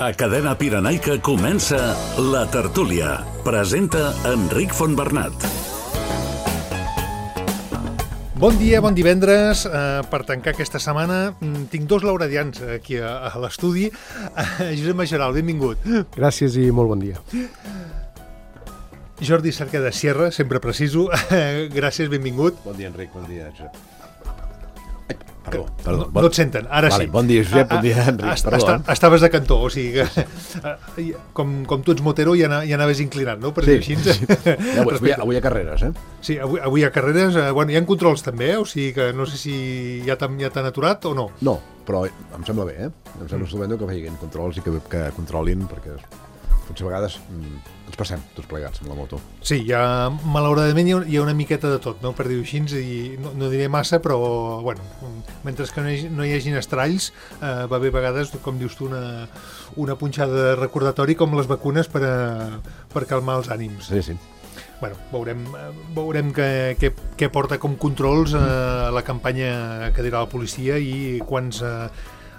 A Cadena Pirenaica comença La Tertúlia. Presenta Enric Fontbernat. Bon dia, bon divendres. Per tancar aquesta setmana tinc dos lauradians aquí a l'estudi. Josep Majoral, benvingut. Gràcies i molt bon dia. Jordi Cerca de Sierra, sempre preciso. Gràcies, benvingut. Bon dia, Enric, bon dia, Josep. Perdó. No et senten, ara vale, sí. Bon dia, Josep, bon dia, Enric, perdó. Estaves de cantó, o sigui que com tu ets motero ja anaves inclinat, no? Per dir així. Avui hi ha carreres, eh? Sí, avui hi ha carreres, bueno, hi ha controls també, o sigui que no sé si ja t'han aturat o no. No, però em sembla bé, Em sembla estupendo que vegin controls i que controlin, perquè potser a vegades ens passem tots plegats amb la moto. Sí, malauradament hi ha una miqueta de tot, no? Per dir-ho així, i no diré massa, però bueno, mentre que no hi hagin estralls, va bé a vegades, com dius tu, una punxada de recordatori com les vacunes per calmar els ànims. Sí. Bueno, veurem què porta com controls la campanya que dirà la policia i quants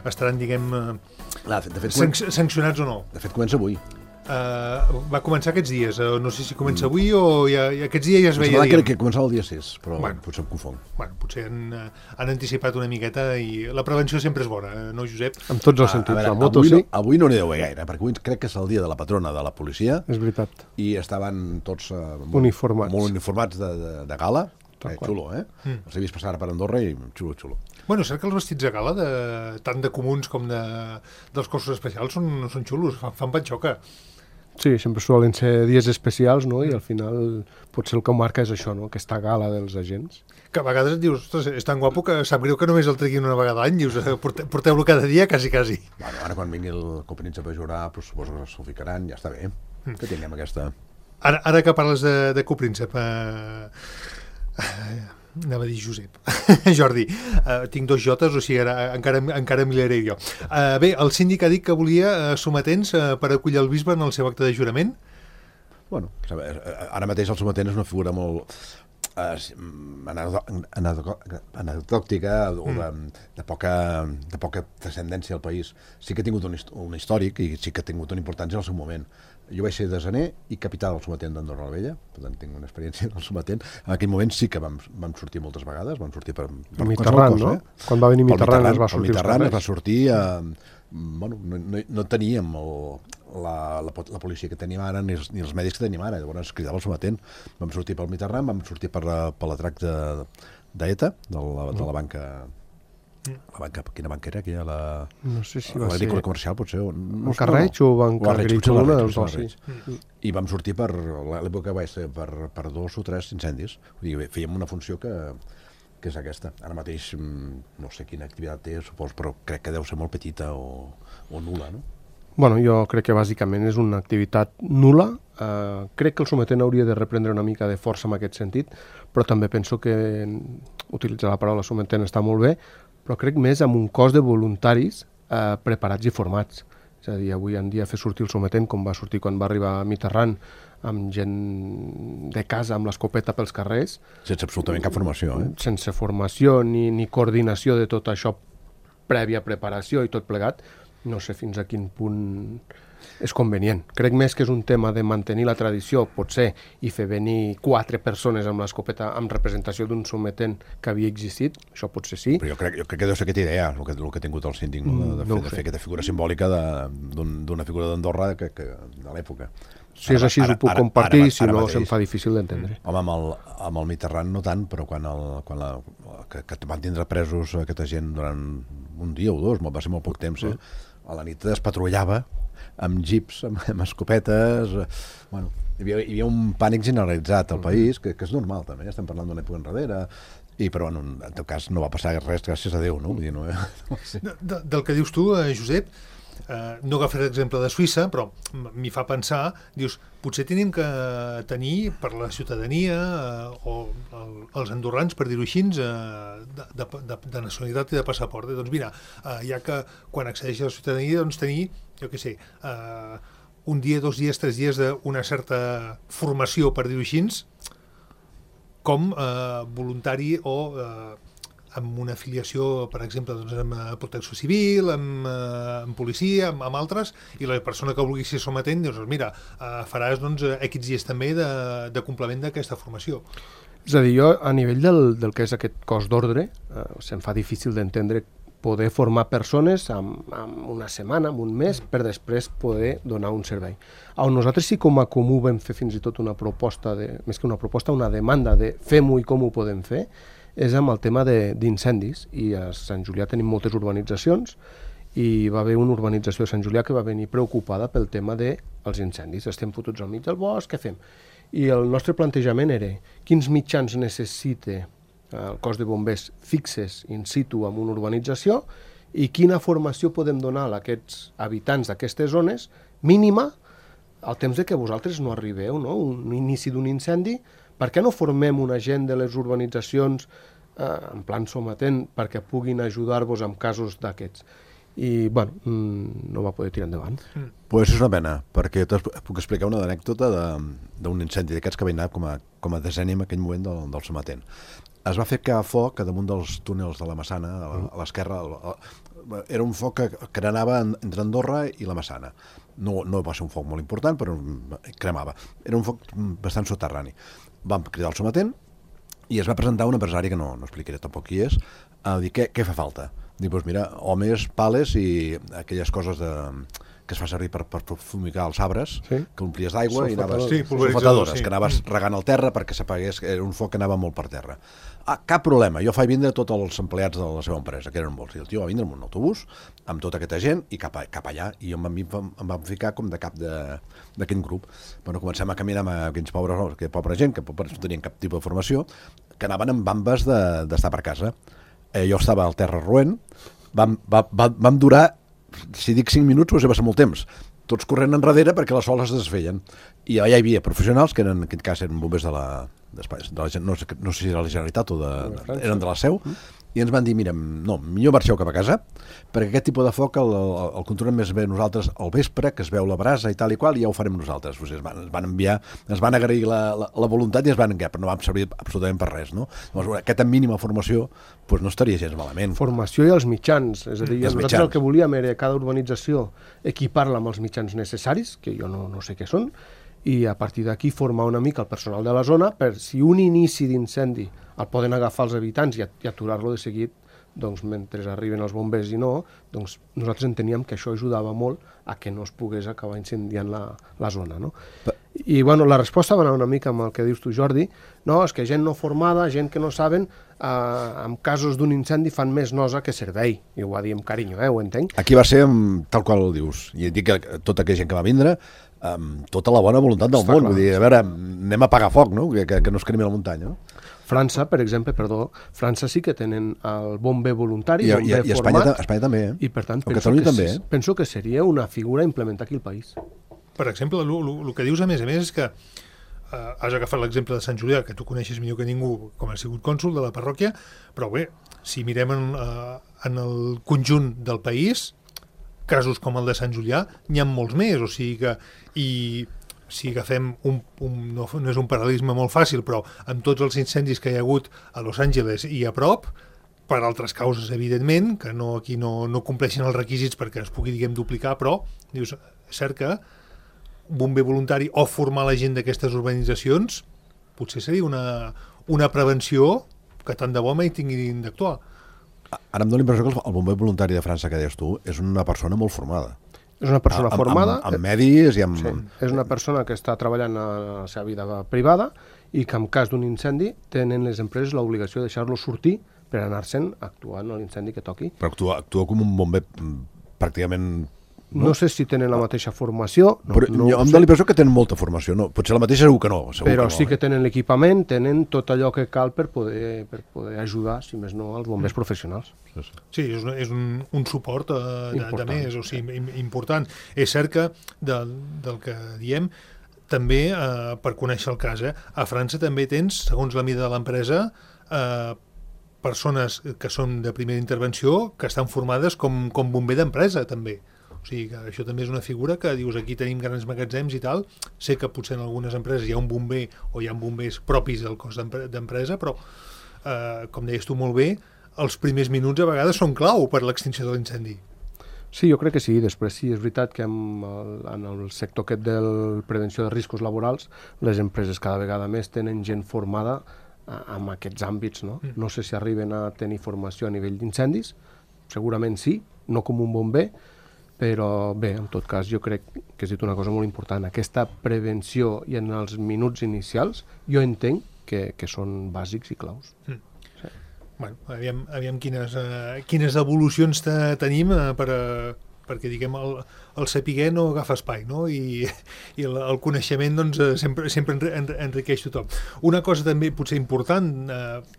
estaran, diguem, sancionats o no. De fet, comença avui. Va començar aquests dies, no sé si comença avui o aquests dies ja es veia. Crec que començava el dia 6, però potser em confon. Potser han anticipat una miqueta i la prevenció sempre és bona, no, Josep? En tots els sentits, veure, la moto avui sí. Avui no n'hi deu haver gaire, perquè avui crec que és el dia de la patrona de la policia. És veritat. I estaven tots uniformats. Molt uniformats de gala. Xulo, Els he vist passar per Andorra i xulo. Bueno, cert que els vestits de gala, tant de comuns com dels cossos especials, són xulos, fan patxoca. Sí, sempre solen ser dies especials, no? I al final potser el que marca és això, no? Aquesta gala dels agents. Que a vegades et dius, ostres, és tan guapo que sap greu que només el treguin una vegada a l'any, dius, porteu-lo cada dia, quasi. Bueno, ara quan vingui el copríncep a jurar, doncs suposo que s'ho ficaran, ja està bé, que tinguem aquesta... Ara que parles de copríncep, anava a dir Josep. Jordi, tinc dos jotes, o sigui, encara millaré jo. Bé, el síndic ha dit que volia sometents per acollir el bisbe en el seu acte de jurament? Bueno, ara mateix el sometent és una figura molt anecdòtica o de poca transcendència al país. Sí que ha tingut un històric i sí que ha tingut una importància en el seu moment. Jo vaig ser desaner i capità del sometent d'Andorra la Vella, per tant tinc una experiència del sometent. En aquell moment sí que vam sortir moltes vegades, vam sortir per Mitterrand, no? Quan va venir Mitterrand es va sortir. Mitterrand es va sortir, bueno, no teníem la policia que tenim ara ni els mèdics que tenim ara, llavors es cridava el sometent. Vam sortir pel Mitterrand, vam sortir per l'atrac d'ETA, de la banca... Quina banca era? No sé si va ser... L'agrícola comercial, potser? El Carreig o Banca Agrícola, una dels dos, sí. I vam sortir per l'època que vaig ser per 2 o 3 incendis. Vull dir, fèiem una funció que és aquesta. Ara mateix no sé quina activitat té, supos, però crec que deu ser molt petita o nul·la, no? Bueno, jo crec que bàsicament és una activitat nul·la. Crec que el sometent hauria de reprendre una mica de força en aquest sentit, però també penso que utilitzar la paraula sometent està molt bé, però crec més amb un cos de voluntaris preparats i formats. És a dir, avui en dia fer sortir el sometent, com va sortir quan va arribar Mitterrand, amb gent de casa, amb l'escopeta pels carrers. Sense absolutament cap formació, Sense formació ni coordinació de tot això, prèvia preparació i tot plegat, no sé fins a quin punt és convenient. Crec més que és un tema de mantenir la tradició, potser, i fer venir 4 persones amb l'escopeta amb representació d'un sometent que havia existit, això potser sí. Però jo crec que deu ser aquesta idea, el que ha tingut el síndic, de fer aquesta figura simbòlica d'una figura d'Andorra de l'època. Si és així, ho puc compartir, si no, se'm fa difícil d'entendre. Home, amb el Mitterrand no tant, però quan que van tindre presos aquesta gent durant un dia o dos, va ser molt poc temps, a la nit es patrullava amb jeeps, amb escopetes... Bueno, hi havia un pànic generalitzat al país, que és normal també, estem parlant d'una època enrere, però en tot cas no va passar res, gràcies a Déu, no? Vull dir, no sí. Del que dius tu, Josep, no agafaré l'exemple de Suïssa, però m'hi fa pensar, dius, potser tenim que tenir per la ciutadania o els andorrans, per dir-ho així, de nacionalitat i de passaport. Doncs mira, ja que quan accedeix a la ciutadania, doncs tenir, jo què sé, un dia, 2 dies, 3 dies d'una certa formació, per dir-ho així, com voluntari o amb una afiliació, per exemple, doncs, amb Protecció Civil, amb policia, amb altres, i la persona que vulgui ser sometent, doncs, mira, faràs X dies també de complement d'aquesta formació. És a dir, jo, a nivell del que és aquest cos d'ordre, se'm fa difícil d'entendre poder formar persones en una setmana, en un mes, per després poder donar un servei. On nosaltres sí com a comú vam fer fins i tot una proposta, més que una proposta, una demanda de fem-ho i com ho podem fer, és amb el tema d'incendis. I a Sant Julià tenim moltes urbanitzacions i va haver una urbanització de Sant Julià que va venir preocupada pel tema dels incendis. Estem fotuts al mig del bosc, què fem? I el nostre plantejament era quins mitjans necessita el cos de bombers fixes in situ en una urbanització i quina formació podem donar a aquests habitants d'aquestes zones mínima al temps de que vosaltres no arribeu, no? Un inici d'un incendi, per què no formem una gent de les urbanitzacions en plan sometent perquè puguin ajudar-vos en casos d'aquests? I, bueno, no va poder tirar endavant. Pues és una pena, perquè puc explicar una anècdota d'un incendi d'aquests que va anar com a deseni en aquell moment del sometent. Es va fer foc a damunt dels túnels de la Massana, a l'esquerra. Era un foc que anava entre Andorra i la Massana. No va ser un foc molt important, però cremava. Era un foc bastant soterrani. Vam cridar el sometent i es va presentar un empresari que no explicaré tampoc qui és, a dir què fa falta. Dic, doncs mira, homes, pales i aquelles coses que es fa servir per fumigar els arbres, que omplies d'aigua i anaves... Sulfatadores, que anaves regant el terra perquè s'apagués, era un foc que anava molt per terra. Cap problema, jo faig vindre tots els empleats de la seva empresa, que eren molts, i el tio va vindre amb un autobús, amb tota aquesta gent, i cap allà, i em vam ficar com de cap d'aquest grup. Bueno, comencem a caminar amb aquells pobra gent, que no tenien cap tipus de formació, que anaven amb bambes d'estar per casa. Jo estava al terra roent, vam durar, si dic 5 minuts, va ser molt temps, tots corrent enrere perquè les soles es desfeien. I allà hi havia professionals, que en aquest cas eren bombers no sé si era la Generalitat o eren de la Seu, i ens van dir, mira, no, millor marxeu cap a casa, perquè aquest tipus de foc el controlem més bé nosaltres al vespre, que es veu la brasa i tal i qual, i ja ho farem nosaltres. Ens van enviar, ens van agrair la voluntat i ens van enviar, però no vam servir absolutament per res, no? Llavors, aquesta mínima formació no estaria gens malament. Formació i els mitjans, és a dir, nosaltres el que volíem era cada urbanització equipar-la amb els mitjans necessaris, que jo no sé què són, i a partir d'aquí formar una mica el personal de la zona per si un inici d'incendi el poden agafar els habitants i aturar-lo de seguit, doncs mentre arriben els bombers i no, doncs nosaltres enteníem que això ajudava molt a que no es pogués acabar incendiant la zona, no? I bueno, la resposta va anar una mica amb el que dius tu, Jordi, no, és que gent no formada, gent que no saben, en casos d'un incendi fan més nosa que servei, i ho va dir amb carinyo, ho entenc. Aquí va ser tal qual ho dius, i dic que tota aquella gent que va vindre, amb tota la bona voluntat del món, vull dir, a veure, anem a apagar foc, no? Que no es cremi la muntanya, no? França, per exemple, França sí que tenen el bomber voluntari, bomber format. I Espanya també, I per tant, penso que seria una figura a implementar aquí al país. Per exemple, el que dius a més és que has agafat l'exemple de Sant Julià, que tu coneixes millor que ningú com ha sigut cònsol de la parròquia, però bé, si mirem en el conjunt del país, casos com el de Sant Julià n'hi ha molts més, o sigui que... Si agafem no és un paral·lelisme molt fàcil, però amb tots els incendis que hi ha hagut a Los Angeles i a prop, per altres causes, evidentment, que aquí no compleixen els requisits perquè es pugui, duplicar, però dius, és cert que bomber voluntari o formar la gent d'aquestes urbanitzacions potser seria una prevenció que tant de bo mai tinguin d'actuar. Ara em dóna l'impressió que el bomber voluntari de França que deies tu és una persona molt formada. És una persona formada. Amb medis i amb... Sí, és una persona que està treballant a la seva vida privada i que en cas d'un incendi tenen les empreses l'obligació de deixar-lo sortir per anar-se'n actuant a l'incendi que toqui. Però actua com un bomber pràcticament... No sé si tenen la mateixa formació. Però em dóna l'impressió que tenen molta formació. No, potser la mateixa segur que no. Però sí que tenen l'equipament, tenen tot allò que cal per poder ajudar, si més no, als bombers professionals. Sí, és un suport de més, o sigui, important. És cert que del que diem, també, per conèixer el cas, a França també tens, segons la mida de l'empresa, persones que són de primera intervenció que estan formades com bomber d'empresa, també. O sigui que això també és una figura que dius, aquí tenim grans magatzems i tal, sé que potser en algunes empreses hi ha un bomber o hi ha bombers propis del cos d'empresa, però com deies tu molt bé, els primers minuts a vegades són clau per l'extinció de l'incendi. Sí, jo crec que sí. Després sí, és veritat que en el sector aquest de prevenció de riscos laborals les empreses cada vegada més tenen gent formada en aquests àmbits, no? No sé si arriben a tenir formació a nivell d'incendis, segurament sí, no com un bomber, però bé, en tot cas jo crec que has dit una cosa molt important. Aquesta prevenció i en els minuts inicials jo entenc que són bàsics i claus. Bueno, aviam quines evolucions tenim perquè diguem el saber no agafa espai, no? I el coneixement doncs, sempre enriqueix tothom. Una cosa també potser important,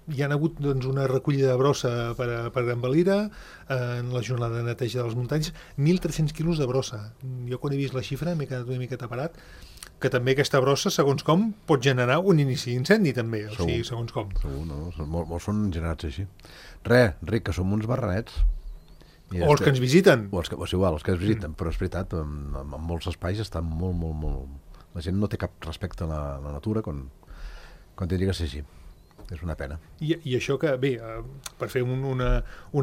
hi ha hagut doncs, una recollida de brossa per Envalira en la jornada de neteja de les muntanyes, 1.300 quilos de brossa. Jo quan he vist la xifra m'he quedat una mica taparat, que també aquesta brossa, segons com, pot generar un inici d'incendi, també, o sigui, segons com. Segur, no? Molts són generats així. Ric, que som uns barranets. O els que ens visiten. O els que ens visiten, però és veritat, en molts espais està molt... La gent no té cap respecte a la natura quan tindria que ser així. És una pena. I això que, bé, per fer un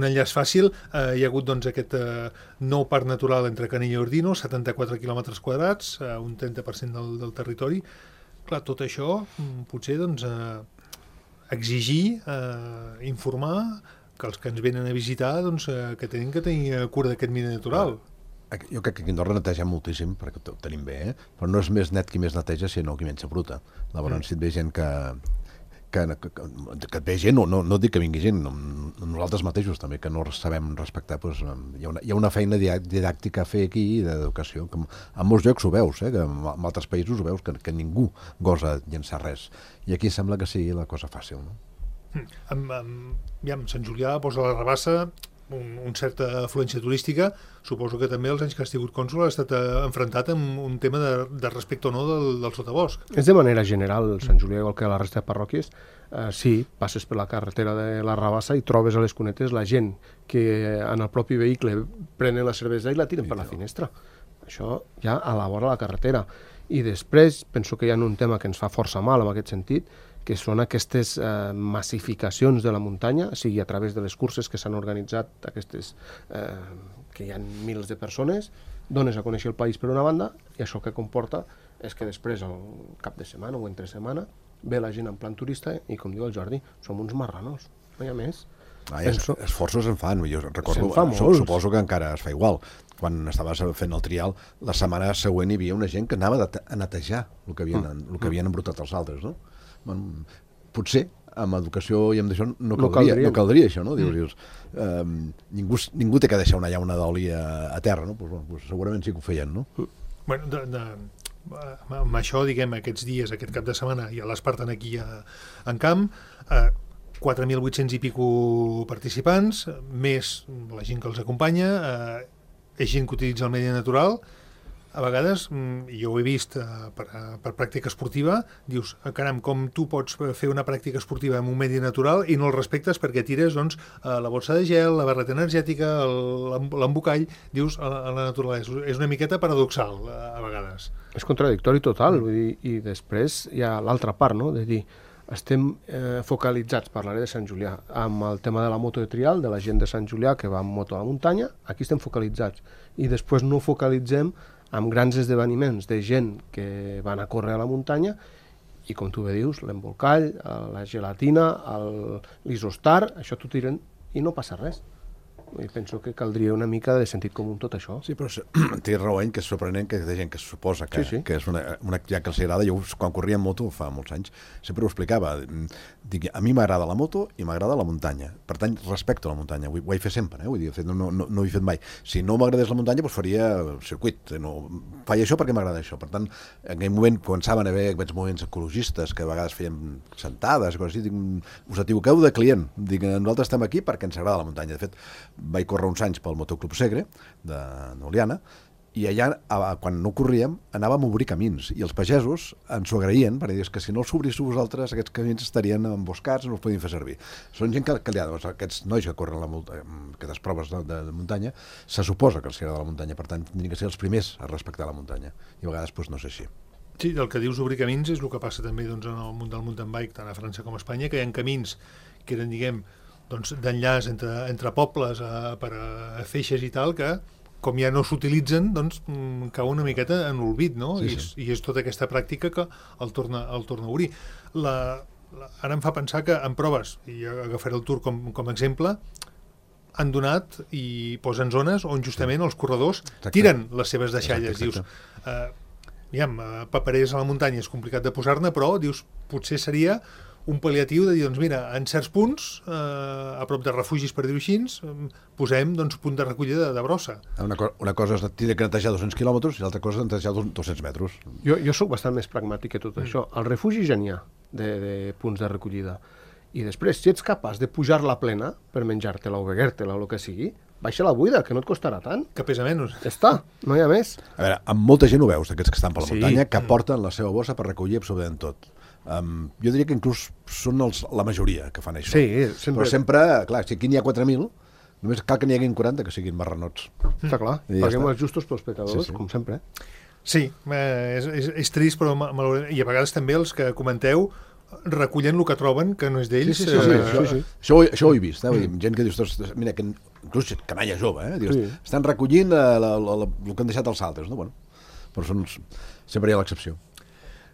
enllaç fàcil, hi ha hagut doncs, aquest nou parc natural entre Canella i Ordino, 74 quilòmetres quadrats, un 30% del territori. Clar, tot això potser doncs, exigir, informar que els que ens venen a visitar doncs, que tenen que tenir cura d'aquest medi natural. Jo crec que aquí a Andorra netegem moltíssim, perquè ho tenim bé, però no és més net qui més neteja, sinó qui menys s'abruta. Llavors, si et ve gent que et ve gent, no dic que vingui gent, nosaltres mateixos també, que no sabem respectar, doncs, hi ha una feina didàctica a fer aquí d'educació, que en molts llocs ho veus, que en altres països ho veus, que ningú gosa llençar res, i aquí sembla que sigui la cosa fàcil, no? Sant Julià posa la Rabassa una certa afluència turística, suposo que també els anys que has tingut cònsol ha estat enfrontat amb un tema de respecte o no del sotabosc. És de manera general, Sant Julià, igual que la resta de parròquies, sí, passes per la carretera de la Rabassa i trobes a les cunetes la gent que en el propi vehicle prenen la cervesa i la tiren per la finestra. Això ja a la vora de la carretera. I després penso que hi ha un tema que ens fa força mal en aquest sentit, que són aquestes massificacions de la muntanya, sigui a través de les curses que s'han organitzat, aquestes que hi ha milers de persones, dones a conèixer el país per una banda, i això que comporta és que després, al cap de setmana o entre setmana, ve la gent en plan turista i, com diu el Jordi, som uns marranos, no hi ha més. Esforços en fan, jo recordo, suposo que encara es fa igual. Quan estaves fent el trial, la setmana següent hi havia una gent que anava a netejar el que havien embrutat els altres, no? Potser amb educació i amb això no caldria això, no? Dius, ningú té que deixar una llauna d'oli a terra, no? Pues segurament sí que ho feien, no? Bueno, amb això, diguem, aquests dies, aquest cap de setmana, ja l'Espartan aquí en camp, 4.800 i pico participants, més la gent que els acompanya, és gent que utilitza el medi natural. A vegades, jo ho he vist per pràctica esportiva, dius, caram, com tu pots fer una pràctica esportiva en un medi natural i no el respectes perquè tires doncs, la bossa de gel, la barreta energètica, l'embocall, dius, a la naturalesa. És una miqueta paradoxal, a vegades. És contradictori total, vull dir, i després hi ha l'altra part, no?, de dir, estem focalitzats, parlaré de Sant Julià, amb el tema de la moto de trial, de la gent de Sant Julià que va amb moto a la muntanya, aquí estem focalitzats, i després no focalitzem amb grans esdeveniments de gent que van a córrer a la muntanya i, com tu bé dius, l'embolcall, la gelatina, l'isostar, això t'ho tiren i no passa res. I penso que caldria una mica de sentit comú tot això. Sí, però té raó que és sorprenent que hi ha gent que suposa que és una activitat que els agrada. Jo, quan corria en moto fa molts anys, sempre ho explicava. Dic, a mi m'agrada la moto i m'agrada la muntanya. Per tant, respecto la muntanya. Ho he fet sempre, vull dir, no ho he fet mai. Si no m'agradés la muntanya, doncs faria circuit. Faig això perquè m'agrada això. Per tant, en aquell moment començaven a haver aquests moviments ecologistes que a vegades feien sentades, coses així. Dic, us equivoqueu de client. Dic, nosaltres estem aquí perquè ens agrada la muntanya. De fet, vaig córrer uns anys pel Motoclub Segre d'Oliana i allà, quan no corríem, anàvem a obrir camins i els pagesos ens ho agraïen perquè dius que si no els obríssiu vosaltres aquests camins estarien emboscats, no els podien fer servir. Són gent que aquests nois que corren aquestes proves de muntanya, se suposa que els agrada la muntanya, per tant tindrien que ser els primers a respectar la muntanya i a vegades no és així. Sí, el que dius obrir camins és el que passa també en el món del mountain bike, tant a França com a Espanya, que hi ha camins que eren, diguem, doncs, d'enllaç entre pobles per a feixes i tal, que com ja no s'utilitzen, doncs cau una miqueta en l'olvid, no? Sí. I és tota aquesta pràctica que el torna a obrir. Ara em fa pensar que en proves, i agafaré el Tour com a exemple, han donat i posen zones on justament els corredors tiren les seves deixalles. Exacte. Dius, paperers a la muntanya és complicat de posar-ne, però dius, potser seria un pal·liatiu de dir, doncs mira, en certs punts, a prop de refugis, per dir-ho així, posem doncs, punt de recollida de brossa. Una cosa és tindre que netejar 200 quilòmetres i l'altra cosa és netejar 200 metres. Jo soc bastant més pragmàtic que tot això. Al refugi ja n'hi ha de punts de recollida. I després, si ets capaç de pujar la plena per menjar-te-la o beguer-te-la o el que sigui, baixa la buida, que no et costarà tant. Que pesa menys. Ja està, no hi ha més. A veure, amb molta gent ho veus, d'aquests que estan per la muntanya, que porten la seva bossa per recollir absolutament tot. Jo diria que inclús són la majoria que fan això. Sí, sempre. Però sempre, clar, si aquí n'hi ha 4.000, només cal que n'hi haguin 40 que siguin marranots. Està clar, I ja paguem està. els justos pels pecadors, com sempre. Sí, és trist, però i a vegades també els que comenteu recullen el que troben, que no és d'ells. Sí. Això ho he vist, vull dir, gent que dius, mira, que inclús canalla jove, dius, estan recollint el que han deixat els altres, no? Bueno, però sempre hi ha l'excepció.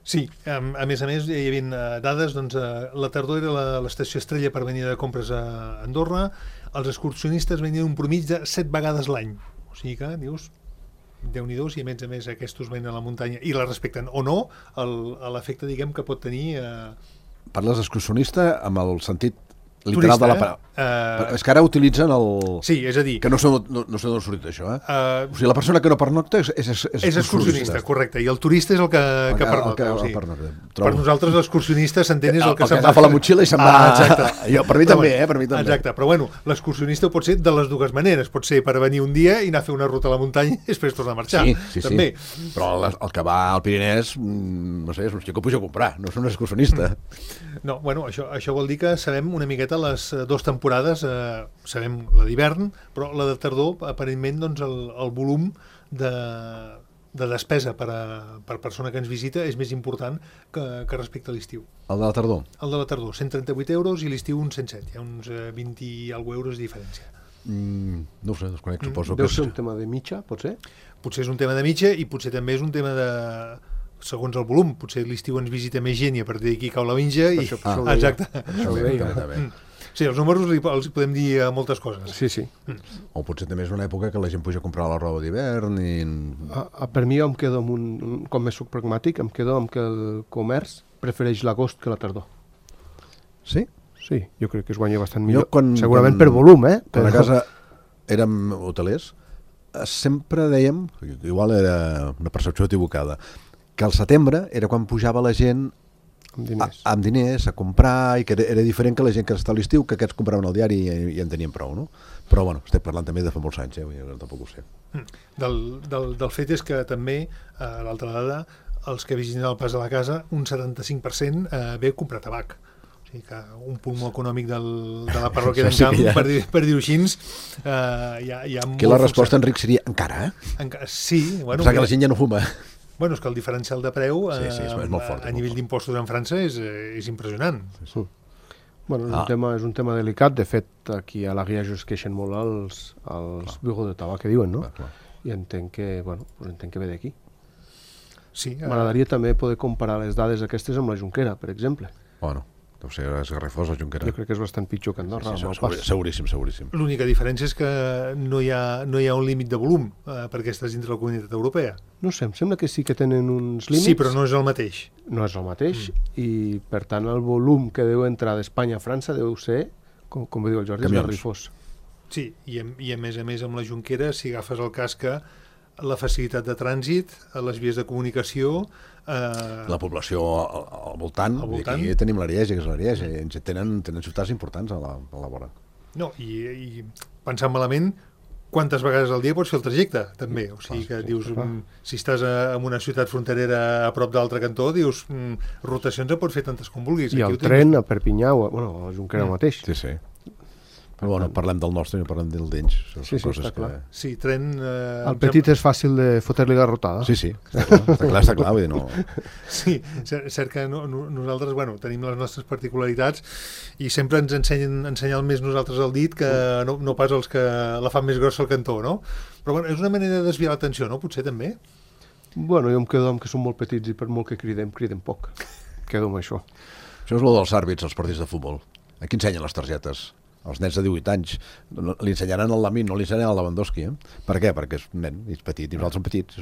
Sí, a més, hi havia dades, doncs, la tardor era l'estació estrella per venir de compres a Andorra, els excursionistes venien un promig de 7 vegades l'any, o sigui que, dius, Déu-n'hi-do, i a més aquests venen a la muntanya i la respecten o no, l'efecte, diguem, que pot tenir... Parles d'excursionista amb el sentit literal turista, de la paraula. És que ara utilitzen el... Sí, és a dir... Que no sé d'on ha sortit això, o sigui, la persona que no pernocta és excursionista, correcte, i el turista és el que pernocta. Per nosaltres l'excursionista s'entén és el que se'n va... agafa la motxilla i se'n va... Per mi també, per mi també. Exacte, però bueno, l'excursionista pot ser de les dues maneres, pot ser per venir un dia i anar a fer una ruta a la muntanya i després tornar a marxar. Sí. També. Però el que va al Pirinès, no sé, és un que puja a comprar, no és un excursionista. No, bueno, això vol dir que sabem una miqueta les dues temporades, sabem la d'hivern, però la de tardor, aparentment, doncs, el volum de despesa per persona que ens visita és més important que respecte a l'estiu. El de la tardor? El de la tardor, 138 euros, i l'estiu uns 107, hi ha uns 20 i alguna euros de diferència. No ho sé, desconec, suposo que... Deu ser un tema de mitja, potser? Potser és un tema de mitja i potser també és un tema de... segons el volum, potser l'estiu ens visita més gent i a partir d'aquí cau la mitja i... Exacte. Sí, els números els podem dir moltes coses. Sí. O potser també és una època que la gent puja a comprar la roba d'hivern i... Per mi jo em quedo amb com més soc pragmàtic, em quedo amb que el comerç prefereix l'agost que la tardor. Sí? Sí, jo crec que es guanya bastant millor. Segurament per volum, Quan a casa érem hotelers, sempre dèiem, igual era una percepció equivocada, que al setembre era quan pujava la gent amb diners a comprar, i que era diferent que la gent que està a l'estiu, que aquests compraven el diari i en tenien prou, no? Però bueno, estic parlant també de fa molts anys, tampoc ho sé. Del fet és que també, l'altra dada, els que visiten el pas de la casa, un 75% ve a comprar tabac. O sigui que un punt molt econòmic de la parròquia d'en Camp, per dir-ho així, hi ha molt... Que la resposta, Enric, seria encara, Sí, bueno... Pensar que la gent ja no fuma. Bueno, és que el diferencial de preu és molt fort, a nivell d'impostos en França és impressionant. Bueno, és un tema delicat. De fet, aquí a la guia es queixen molt els bureaux de tabac que diuen, no? I entenc que ve d'aquí. Sí. M'agradaria també poder comparar les dades aquestes amb la Jonquera, per exemple. Bueno, deu ser esgarrifós la Jonquera. Jo crec que és bastant pitjor que Andorra. Seguríssim. L'única diferència és que no hi ha un límit de volum perquè estàs dintre la comunitat europea. No sé, em sembla que sí que tenen uns límits. Sí, però no és el mateix. No és el mateix, i per tant el volum que deu entrar d'Espanya a França deu ser, com diu el Jordi, esgarrifós. Sí, i a més amb la Jonquera, si agafes el cas que la facilitat de trànsit, les vies de comunicació... La població al voltant. Aquí tenim l'Ariège, que és l'Ariège, i tenen ciutats importants a la vora. No, i pensant malament, quantes vegades al dia pots fer el trajecte, també. O sigui que dius, si estàs en una ciutat fronterera a prop d'altre cantó, dius, rotacions en pots fer tantes com vulguis. I el tren a Perpinyà, a la Jonquera mateix. Sí. Però bueno, parlem del nostre i no parlem del d'ells. Sí, està clar. Sí, tren... El petit és fàcil de fotre-li garrotada. Sí, està clar, vull dir, no... Sí, cert que nosaltres, bueno, tenim les nostres particularitats i sempre ens ensenyar més nosaltres el dit que no pas els que la fan més grossa al cantó, no? Però bueno, és una manera de desviar l'atenció, no? Potser també? Bueno, jo em quedo amb que són molt petits i per molt que criden poc. Quedo amb això. Això és el dels àrbits, els partits de futbol. Aquí ensenyen les targetes. Els nens de 18 anys li ensenyaran el Lamine, no li ensenyaran el Lewandowski. Per què? Perquè és un nen, és petit, i nosaltres som petits.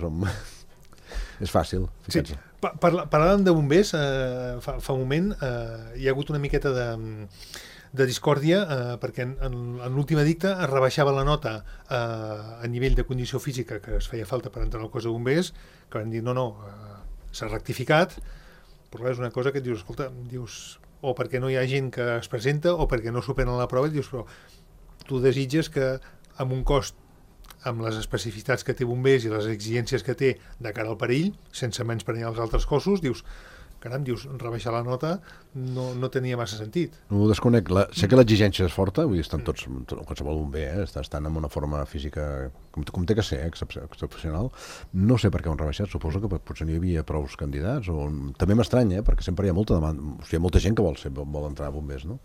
És fàcil. Sí. Parlàvem de bombers fa un moment. Hi ha hagut una miqueta de discòrdia perquè en l'últim edicte es rebaixava la nota a nivell de condició física que es feia falta per entrar al cos de bombers, que van dir no, s'ha rectificat, però és una cosa que et dius, escolta, o perquè no hi ha gent que es presenta o perquè no superen la prova, i dius, però tu desitges que amb un cost amb les especificitats que té bombers i les exigències que té de cara al perill, sense menysprear els altres cossos, dius, caram, rebaixar la nota no tenia massa sentit. No ho desconec. Sé que l'exigència és forta, vull dir, estan tots, qualsevol bomber, estan en una forma física com té que ser, excepcional. No sé per què ho han rebaixat, suposo que potser n'hi havia prou candidats, o també m'estranya, perquè sempre hi ha molta demanda, o sigui, hi ha molta gent que vol entrar a bombers, no?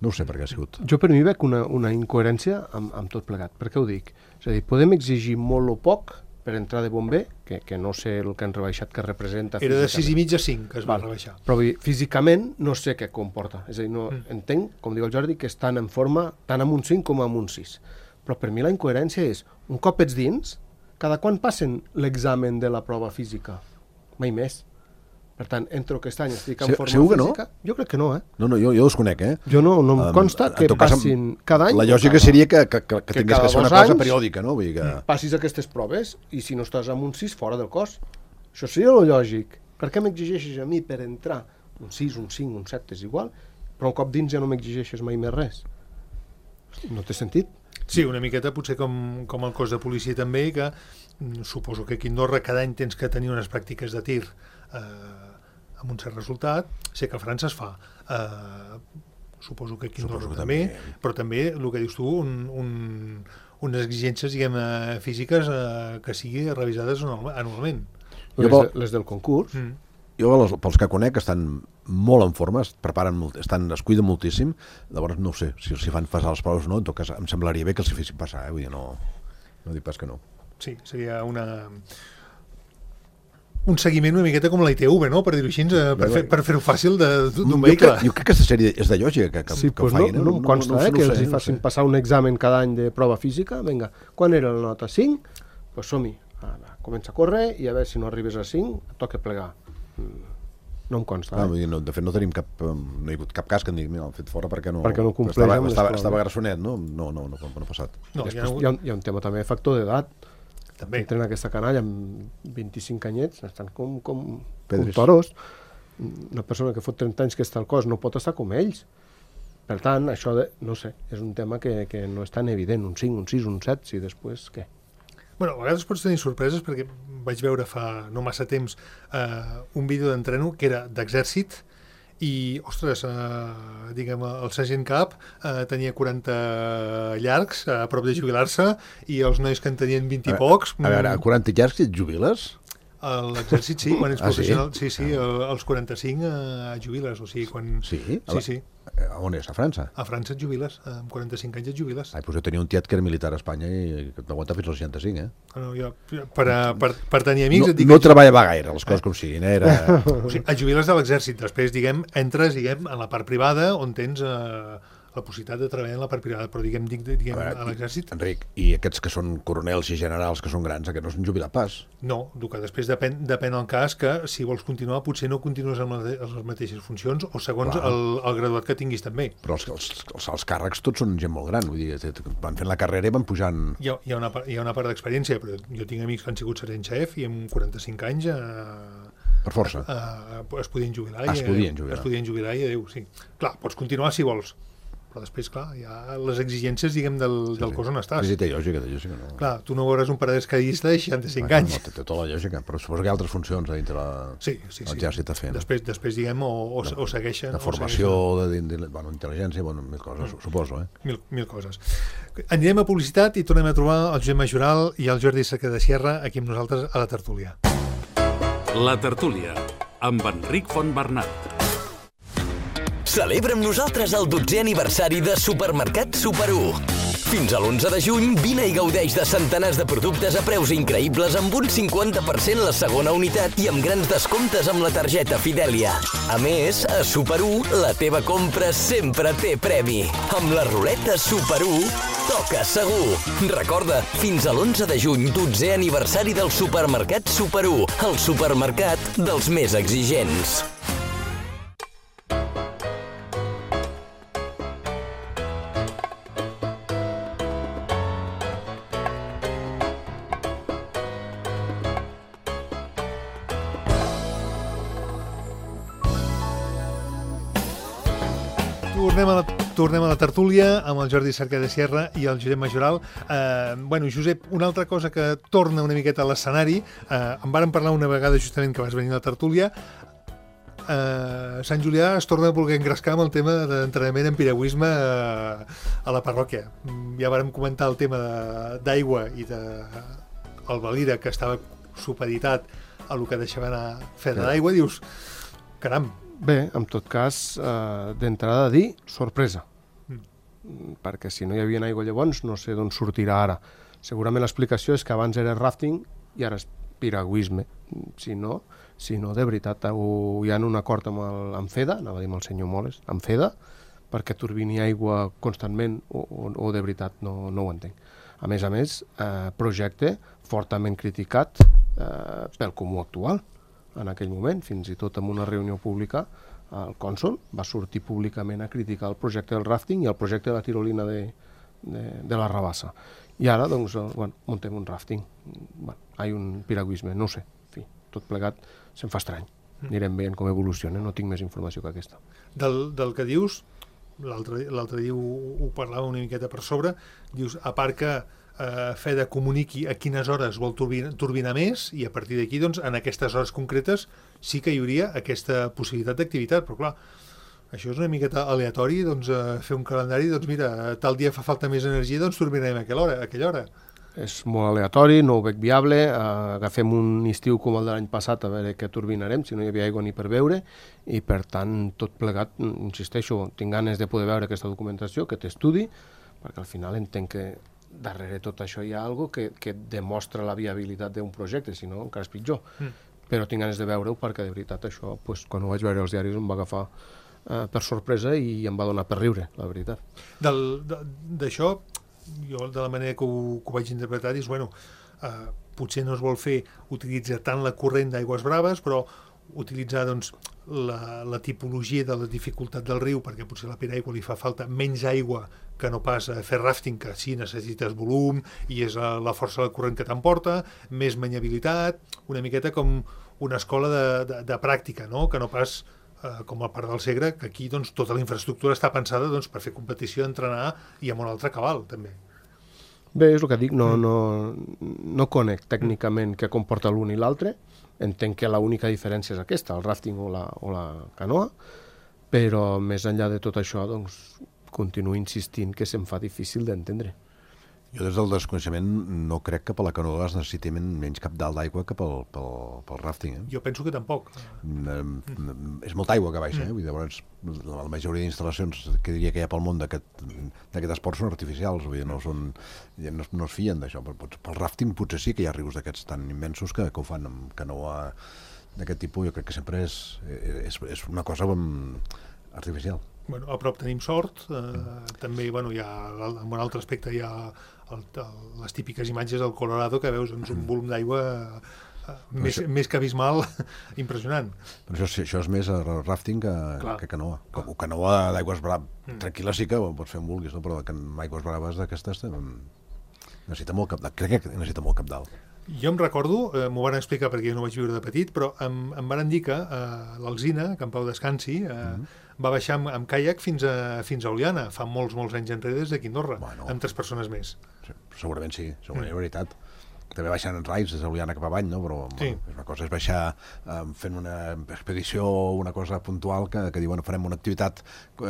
No ho sé per què ha sigut. Jo per mi veig una incoherència amb tot plegat. Per què ho dic? És a dir, podem exigir molt o poc per entrar de bomber, que no sé el que han rebaixat que representa físicament. Era de 6,5 a 5 que es va rebaixar. Però físicament no sé què comporta. És a dir, no entenc, com diu el Jordi, que estan en forma tant amb un 5 com amb un 6. Però per mi la incoherència és, un cop ets dins, cada quan passen l'examen de la prova física? Mai més. Per tant, entro aquest any, estic en forma física... Jo crec que no, No, jo desconec, Jo no em consta que passin cada any... La lògica seria que tingués que ser una cosa periòdica, no? Vull dir que... Passis aquestes proves i si no estàs amb un 6, fora del cos. Això seria el lògic. Per què m'exigeixes a mi per entrar? Un 6, un 5, un 7 és igual, però un cop dins ja no m'exigeixes mai més res. No té sentit? Sí, una miqueta potser com el cos de policia també, que suposo que aquí a Andorra cada any tens que tenir unes pràctiques de tir amb un cert resultat. Sé que a França es fa, suposo que aquí a Andorra també, però també el que dius tu, unes exigències físiques que sigui revisades anualment. Les del concurs. Jo, pels que conec, estan molt en forma, es preparen molt, es cuiden moltíssim. Llavors no sé si els fan passar les proves o no. En tot cas em semblaria bé que els hi fessin passar, vull dir, no dic pas que no. Sí, seria un seguiment una miqueta com la ITV, no? Per dir-ho així, per fer-ho fàcil d'un vehicle. Jo crec que aquesta sèrie és de lògica que ho facin. No em consta que els hi facin passar un examen cada any de prova física. Vinga, quan era la nota? 5? Doncs som-hi. Comença a córrer i a veure si no arribes a 5, et toca plegar. No em consta. De fet, no tenim no hi ha hagut cap cas que em digui, mira, l'han fet fora perquè no compleix amb les proves. Estava grassonet, no? No ha passat. Hi ha un tema també, factor d'edat. També. Entren aquesta canalla amb 25 anyets, estan com toros. Una persona que fot 30 anys que està al cos no pot estar com ells. Per tant, això, no sé, és un tema que no és tan evident. Un 5, un 6, un 7, si després què? Bueno, a vegades pots tenir sorpreses perquè vaig veure fa no massa temps un vídeo d'entreno que era d'exèrcit i, ostres, diguem, el sergent cap tenia 40 llargs a prop de jubilar-se i els nois que en tenien 20 i pocs... A veure, a 40 llargs et jubiles? A l'exèrcit sí, quan ets professional, sí, als 45 jubiles, o sigui, quan... Sí? Sí. On és? A França? A França et jubiles, amb 45 anys et jubiles. Doncs jo tenia un tiet que era militar a Espanya i que t'aguanta fins als 65, No, jo, per tenir amics... No treballava gaire, les coses com siguin, era... O sigui, et jubiles de l'exèrcit, després, entres, en la part privada, on tens la possibilitat de treballar en la part privada, però a l'exèrcit... Enric, i aquests que són coronels i generals que són grans, aquests no s'han jubilat pas? No, que després depèn el cas, que si vols continuar potser no continues amb les mateixes funcions o segons el graduat que tinguis també. Però els càrrecs tots són gent molt gran, vull dir, van fent la carrera i van pujant... Hi ha una part d'experiència, però jo tinc amics que han sigut sergent xef i amb 45 anys... Per força. Es podien jubilar. Es podien jubilar i adéu, sí. Clar, pots continuar si vols, però després, clar, hi ha les exigències, diguem, del cos on estàs. Sí, té lògica, no? Clar, tu no veuràs un paracaidista de 65 anys. No, té tota la lògica, però suposo que hi ha altres funcions dintre l'exèrcit a fer. Després, diguem, o segueixen... De formació, d'intel·ligència, mil coses, suposo, Mil coses. Anirem a publicitat i tornem a trobar el Josep Majoral i el Jordi Cerca de Sierra aquí amb nosaltres a la tertúlia. La tertúlia, amb Enric Fontbernat. Celebra amb nosaltres el 12è aniversari de Supermercat Super 1. Fins a l'11 de juny, vine i gaudeix de centenars de productes a preus increïbles amb un 50% la segona unitat i amb grans descomptes amb la targeta Fidèlia. A més, a Super 1, la teva compra sempre té premi. Amb la ruleta Super 1, toca segur. Recorda, fins a l'11 de juny, 12è aniversari del Supermercat Super 1, el supermercat dels més exigents. Tornem a la tertúlia amb el Jordi Cerca de Sierra i el Josep Majoral. Josep, una altra cosa que torna una miqueta a l'escenari, en vàrem parlar una vegada justament que vas venir a la tertúlia, Sant Julià es torna a voler engrescar amb el tema d'entrenament en piragüisme a la parròquia. Ja vàrem comentar el tema d'aigua i del Valira, que estava supeditat a el que deixava anar fer de l'aigua, dius, caram. Bé, en tot cas, d'entrada dir sorpresa, perquè si no hi havia aigua llavors no sé d'on sortirà ara. Segurament l'explicació és que abans era rafting i ara és piragüisme. Si no, de veritat, hi ha un acord amb FEDA, anava a dir amb el senyor Moles, amb FEDA, perquè turbini aigua constantment o de veritat no ho entenc. A més, projecte fortament criticat pel comú actual. En aquell moment, fins i tot en una reunió pública, el cònsol va sortir públicament a criticar el projecte del rafting i el projecte de la tirolina de la Rabassa. I ara, doncs, muntem un rafting. Hi ha un piragüisme, no ho sé. En fi, tot plegat se'm fa estrany. Anirem veient com evoluciona, no tinc més informació que aquesta. Del que dius, l'altre dia ho parlava una miqueta per sobre, dius, a part que FEDA comuniqui a quines hores vol turbinar més i a partir d'aquí, doncs, en aquestes hores concretes sí que hi hauria aquesta possibilitat d'activitat, però clar, això és una miqueta aleatori, doncs, fer un calendari, doncs mira, tal dia fa falta més energia, doncs turbinarem a aquella hora. És molt aleatori, no ho veig viable, agafem un estiu com el de l'any passat a veure què turbinarem, si no hi havia aigua ni per beure, i per tant, tot plegat, insisteixo, tinc ganes de poder veure aquesta documentació, aquest estudi, perquè al final entenc que darrere tot això hi ha alguna cosa que demostra la viabilitat d'un projecte, si no encara és pitjor. Però tinc ganes de veure-ho perquè de veritat això, quan ho vaig veure als diaris, em va agafar per sorpresa i em va donar per riure, la veritat. D'això, jo de la manera que ho vaig interpretar és, potser no es vol utilitzar tant la corrent d'aigües braves, però utilitzar doncs, la tipologia de la dificultat del riu, perquè potser a la piraigua li fa falta menys aigua que no pas a fer rafting, que sí necessites volum i és la força del corrent que t'emporta, més maniabilitat, una miqueta com una escola de pràctica, no? Que no pas com el Parc del Segre, que aquí doncs, tota la infraestructura està pensada doncs, per fer competició, entrenar i amb un altre cabal, també. Bé, és el que dic, no conec tècnicament què comporta l'un i l'altre, entenc que l'única diferència és aquesta, el rafting o la canoa, però més enllà de tot això, doncs, continuo insistint que se'm fa difícil d'entendre. Jo des del desconeixement no crec que per la canoa es necessiti menys cabdal d'aigua que pel rafting. Jo penso que tampoc. És molta aigua que baixa, vull dir, llavors la majoria d'instal·lacions que diria que hi ha pel món d'aquest esport són artificials, vull dir, no es fien d'això. Pel rafting potser sí que hi ha rius d'aquests tan immensos que ho fan amb canoa d'aquest tipus. Jo crec que sempre és una cosa artificial. A prop tenim sort, també hi ha, en un altre aspecte hi ha les típiques imatges del Colorado que veus un volum d'aigua més que abismal, impressionant. Però això és més rafting que canoa. Canoa d'aigües braves, tranquil·la sí que pots fer on vulguis, no? Però amb aigües braves d'aquestes necessita molt cabdal. Crec que necessita molt cabdal. Jo em recordo, m'ho van explicar perquè jo no ho vaig viure de petit, però em van dir que l'Alzina, que en Pau descansi, va baixar amb caiac fins a Oliana, fa molts anys enrere des d'aquí Andorra, Bueno. amb 3 persones més. Sí, segurament sí, segurament és veritat. També baixant en raids des d'Oliana cap avall, no? Però Sí. bueno, una cosa és baixar fent una expedició, una cosa puntual que diuen farem una activitat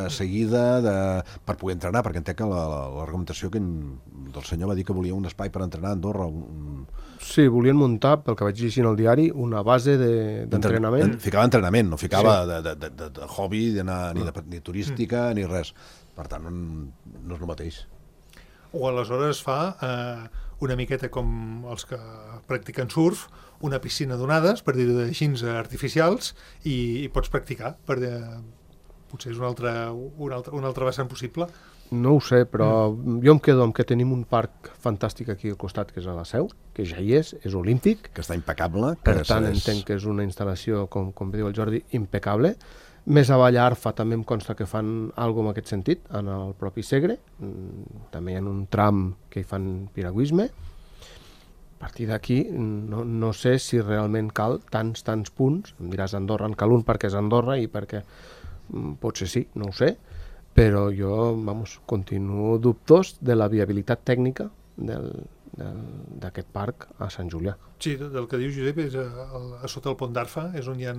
seguida per poder entrenar, perquè entenc que l'argumentació que del senyor va dir que volia un espai per entrenar a Andorra. Sí, volien muntar, pel que vaig llegir en el diari, una base d'entrenament. Ficava entrenament, no ficava de hobby, ni turística, ni res. Per tant, no és el mateix. O aleshores fa una miqueta com els que practiquen surf, una piscina d'onades, per dir-ho així, artificials, i pots practicar. Potser és un altre vessant possible. No ho sé, però jo em quedo amb que tenim un parc fantàstic aquí al costat, que és a la Seu, que ja hi és olímpic. Que està impecable. Per tant, entenc que és una instal·lació, com diu el Jordi, impecable. Més avall a Arfa també em consta que fan alguna cosa en aquest sentit, en el propi Segre. També hi ha un tram que hi fan piragüisme. A partir d'aquí no sé si realment cal tants punts. Em diràs Andorra, en cal un perquè és Andorra i perquè potser sí, no ho sé, però jo, continuo dubtós de la viabilitat tècnica d'aquest parc a Sant Julià. Sí, del que diu Josep és a sota el pont d'Arfa, és on hi ha...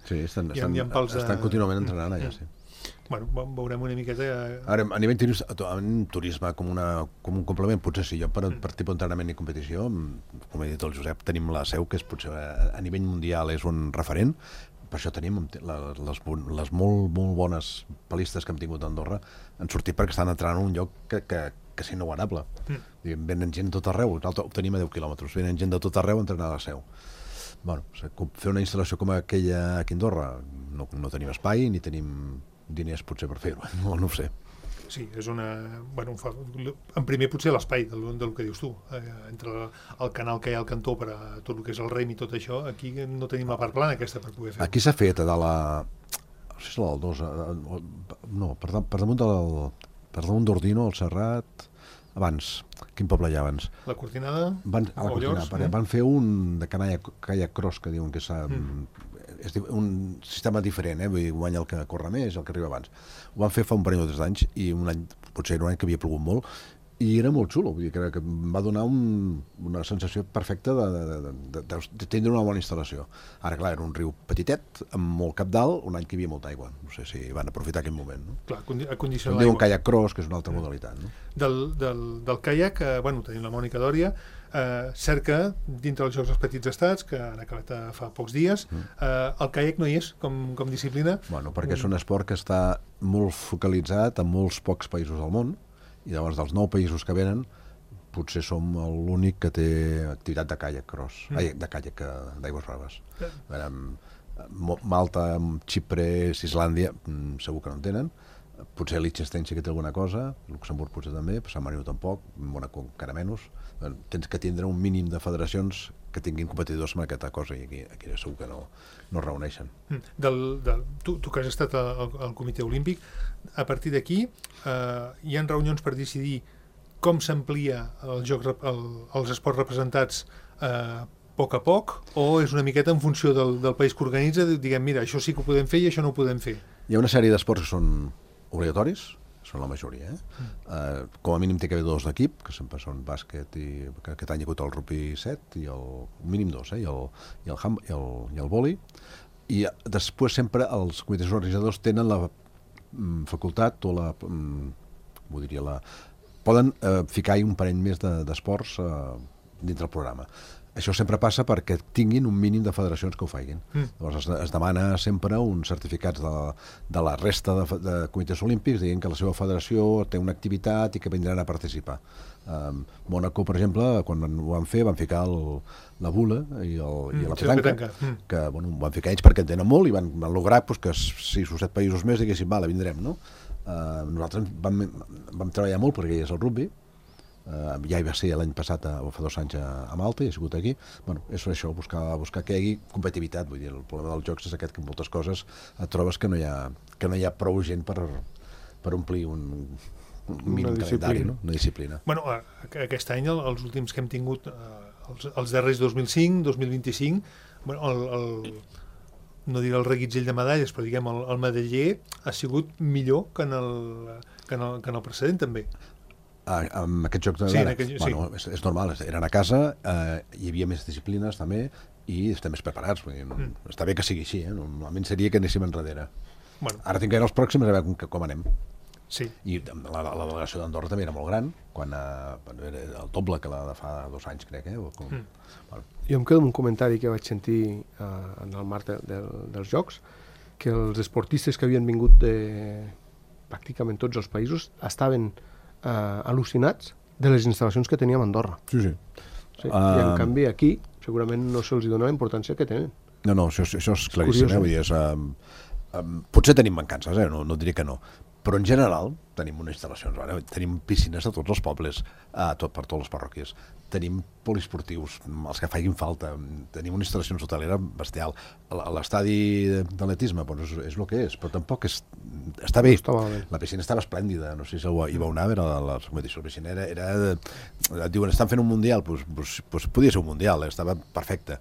Sí, estan pals contínuament entrenant allà, sí. Bueno, veurem una miqueta... Ara, a nivell turisme com un complement, potser sí, jo per tipus d'entrenament i competició, com ha dit el Josep, tenim la Seu, que és potser a nivell mundial és un referent, per això tenim les molt bones palistes que hem tingut a Andorra, han sortit perquè estan entrant en un lloc que és inigualable. Venen gent de tot arreu, nosaltres ho tenim a 10 quilòmetres, venen gent de tot arreu a entrenar a la Seu. Bueno, fer una instal·lació com aquella aquí a Andorra, no tenim espai ni tenim diners potser per fer-ho, no ho sé. Sí, és una... Bueno, en primer potser l'espai del que dius tu, entre el canal que hi ha al cantó per a tot el que és el rem i tot això, aquí no tenim la part plana aquesta per poder fer-ho. Aquí s'ha fet a la... No sé si és la del 2... No, per damunt d'Ordino, el Serrat... Abans, quin poble hi ha abans? La Cortinada? Van fer un de kayak cross, que diuen que és un sistema diferent, vull dir, guanya el que corre més, el que arriba abans. Ho van fer fa un parell o 3 anys, i potser era un any que havia plogut molt, i era molt xulo, vull dir, que em va donar una sensació perfecta de tindre una bona instal·lació. Ara, clar, era un riu petitet, amb molt cabdal, un any que hi havia molta aigua. No sé si van aprofitar aquest moment. No? Clar, acondicionar l'aigua. Diuen kayak cross, que és una altra modalitat. No? Del kayak, tenim la Mònica Dòria, cerca, dintre dels Jocs dels Petits Estats, que han acabat fa pocs dies, el kayak no hi és com disciplina. Bueno, perquè és un esport que està molt focalitzat en molts pocs països del món, i llavors dels 9 països que venen potser som l'únic que té activitat de kayak cross, de kayak d'aigües braves. Malta, Xipre, Islàndia segur que no en tenen, potser Liechtenstein sí que té alguna cosa, Luxemburg potser també, Sant Marino tampoc, Mónaco encara menys. Tens que tindre un mínim de federacions que tinguin competidors en aquesta cosa, i aquí segur que no es reuneixen. Tu que has estat al Comitè Olímpic, a partir d'aquí hi ha reunions per decidir com s'amplia els esports representats a poc, o és una miqueta en funció del país que organitza, diguem, mira, això sí que ho podem fer i això no ho podem fer? Hi ha una sèrie d'esports que són obligatoris, són la majoria. Com a mínim té que haver 2 d'equip, que sempre són bàsquet, i aquest any hi ha hagut el rugby 7, i el mínim 2, i el vòlei. I després sempre els comitès organitzadors tenen la facultat o poden ficar-hi un parell més d'esports dintre el programa. Això sempre passa perquè tinguin un mínim de federacions que ho facin. Llavors es demana sempre uns certificats de la resta de comitès olímpics dient que la seva federació té una activitat i que vindran a participar. Mónaco, per exemple, quan ho van fer, van ficar la bula i la petanca, que ho van ficar ells perquè en tenen molt i van lograr que 6 o 7 països més diguessin, vale, vindrem, no? Nosaltres vam treballar molt perquè hi és el rugby, ja hi va ser l'any passat o fa 2 anys a Malta i ha sigut aquí. És això, buscar que hi hagi competitivitat. Vull dir, el problema dels jocs és aquest, que en moltes coses et trobes que no hi ha prou gent per omplir un mínim calendari, no? Una disciplina. Aquest any, els últims que hem tingut, els darrers 2005, 2025, no diré el reguitzell de medalles, però diguem el medaller ha sigut millor que en el precedent també. Amb aquests jocs Sí, d'ara, bueno, és normal, eren a casa, hi havia més disciplines també i estem més preparats, està bé que sigui així, normalment seria que anéssim enrere. Bueno. Ara tinc que anar als pròxims a veure com anem. Sí. I la delegació d'Andorra també era molt gran, quan era el doble que la de fa 2 anys, crec. Bueno. Jo em quedo amb un comentari que vaig sentir en el marc dels Jocs, que els esportistes que havien vingut de pràcticament tots els països estaven al·lucinats de les instal·lacions que teníem a Andorra. Sí. I en canvi aquí segurament no se'ls dona la importància que tenen. No, això és claríssim. Vull dir, potser tenim mancances, no diré que no, però en general tenim unes instal·lacions, tenim piscines de tots els pobles, per totes les parròquies, tenim poliesportius, els que facin falta, tenim una instal·lació hotelera bestial. L'estadi d'atletisme és el que és, però tampoc està bé. La piscina estava esplèndida, no sé si hi vau anar, la competició de piscina et diuen, estan fent un mundial, doncs podia ser un mundial, estava perfecte.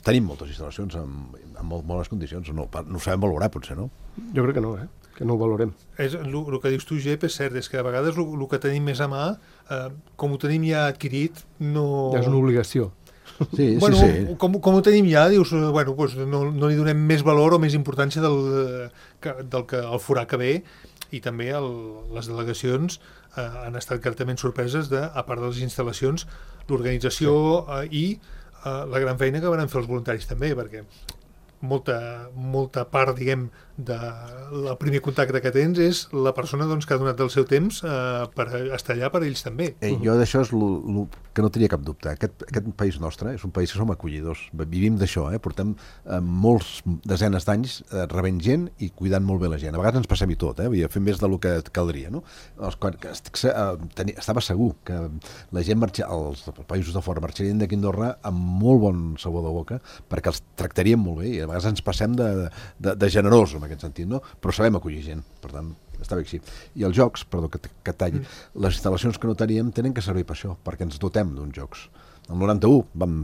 Tenim moltes instal·lacions en molt bones condicions, no ho sabem valorar potser, no? Jo crec que no, que no ho valorem. El que dius tu, Jep, és cert, és que a vegades el que tenim més a mà, com ho tenim ja adquirit, no... Ja és una obligació. Sí. Com ho tenim ja, dius, no li donem més valor o més importància del que el forà que ve, i també les delegacions han estat gratament sorpreses a part de les instal·lacions, l'organització i la gran feina que van fer els voluntaris també, perquè molta part, diguem, del primer contacte que tens és la persona que ha donat el seu temps per estar allà per ells també. Jo d'això és el que no tenia cap dubte. Aquest país nostre és un país que som acollidors. Vivim d'això, portem molts desenes d'anys rebent gent i cuidant molt bé la gent. A vegades ens passem i tot, fem més del que caldria. Estava segur que la gent els països de fora marxarien d'aquí a Andorra amb molt bon sabor de boca perquè els tractarien molt bé i a vegades ens passem de generós en aquest sentit, no? Però sabem acollir gent, per tant, està bé així. I els jocs, perdó que talli, les instal·lacions que no teníem tenen que servir per això, perquè ens dotem d'uns jocs. El 91 vam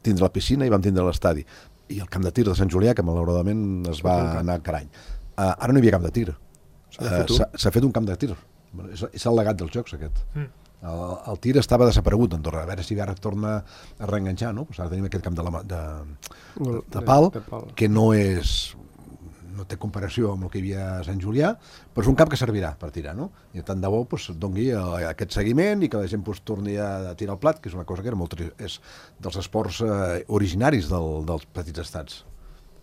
tindre la piscina i vam tindre l'estadi, i el camp de tir de Sant Julià, que malauradament es va anar a carany. Ara no hi havia camp de tir. S'ha fet un camp de tir. És el legat dels jocs, aquest. El tir estava desaparegut a Andorra, a veure si ara torna a reenganxar, no? Ara tenim aquest camp de pal, que no té comparació amb el que hi havia a Sant Julià, però és un camp que servirà per tirar, no? I tant de bo doni aquest seguiment i que la gent torni a tirar el plat, que és una cosa que és dels esports originaris dels petits estats.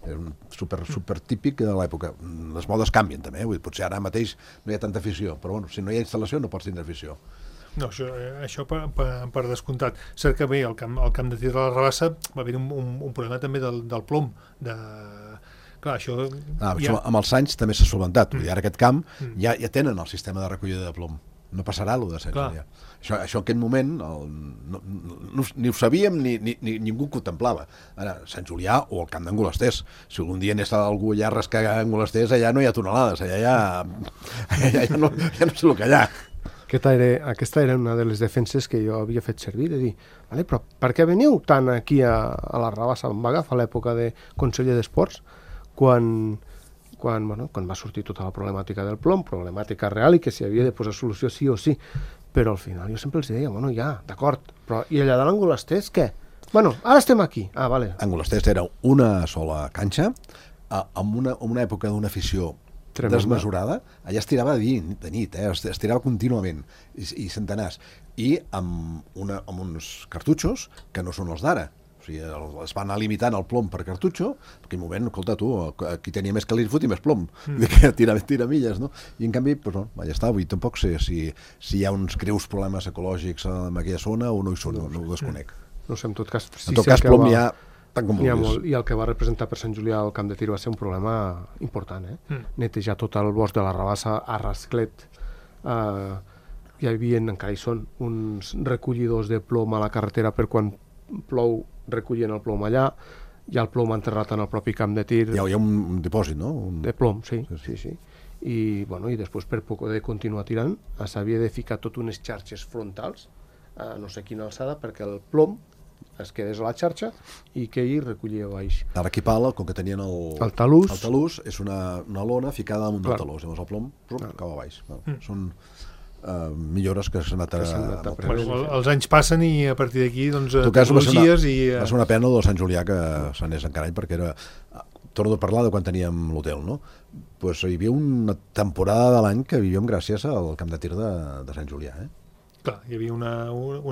És super típic de l'època. Les modes canvien també, potser ara mateix no hi ha tanta afició, però si no hi ha instal·lació no pots tindre afició. No, això per descomptat. Cert que bé, al camp de tir de la Rabassa va haver un problema també del plom. Clar, això... Amb els anys també s'ha solventat. Ara aquest camp ja tenen el sistema de recollida de plom. No passarà allò de Sant Julià. Això en aquest moment ni ho sabíem ni ningú ho contemplava. Ara, Sant Julià o el camp d'Angolesters. Si algun dia anés algú allà a rascar Angolesters, allà no hi ha tonelades, allà ja no sé el que hi ha. Aquesta era una de les defenses que jo havia fet servir, de dir, però per què veniu tant aquí a la Rabassa? Em va agafar l'època de conseller d'Esports, quan va sortir tota la problemàtica del plom, problemàtica real i que s'hi havia de posar solució sí o sí, però al final jo sempre els deia, d'acord, però i allà de l'Angolesters què? Ara estem aquí. Vale. Angolesters era una sola canxa, amb una època d'una afició desmesurada, allà es tirava de nit, es tirava contínuament, i centenars, i amb uns cartutxos que no són els d'ara. O sigui, es va anar limitant el plom per cartutxo, perquè en un moment, escolta tu, qui tenia més calirs fot i més plom, que tira milles, no? I en canvi, ja està, avui tampoc sé si hi ha uns greus problemes ecològics en aquella zona o no hi són, no ho desconec. No sé, en tot cas... En tot cas, plom n'hi ha tant com vulguis. I el que va representar per Sant Julià el camp de tir va ser un problema important, netejar tot el bosc de la Rabassa a rasclet. Hi havia, encara hi són, uns recollidors de plom a la carretera per quan plou recollien el plom allà, hi ha el plom enterrat en el propi camp de tir. Hi ha un dipòsit, no? De plom, sí. I després per poder continuar tirant s'havia de ficar tot unes xarxes frontals a no sé quina alçada perquè el plom es quedés a la xarxa i que ell recollia baix. Ara aquí Pala, com que tenien el talús, és una lona ficada damunt del talús, llavors el plom cau a baix. Són millores que s'han anat a... Els anys passen i a partir d'aquí tecnologies i... Va ser una pena del Sant Julià que s'anés encara perquè era... Torno a parlar de quan teníem l'hotel, no? Pues hi havia una temporada de l'any que vivíem gràcies al camp de tir de Sant Julià, Clar, hi havia una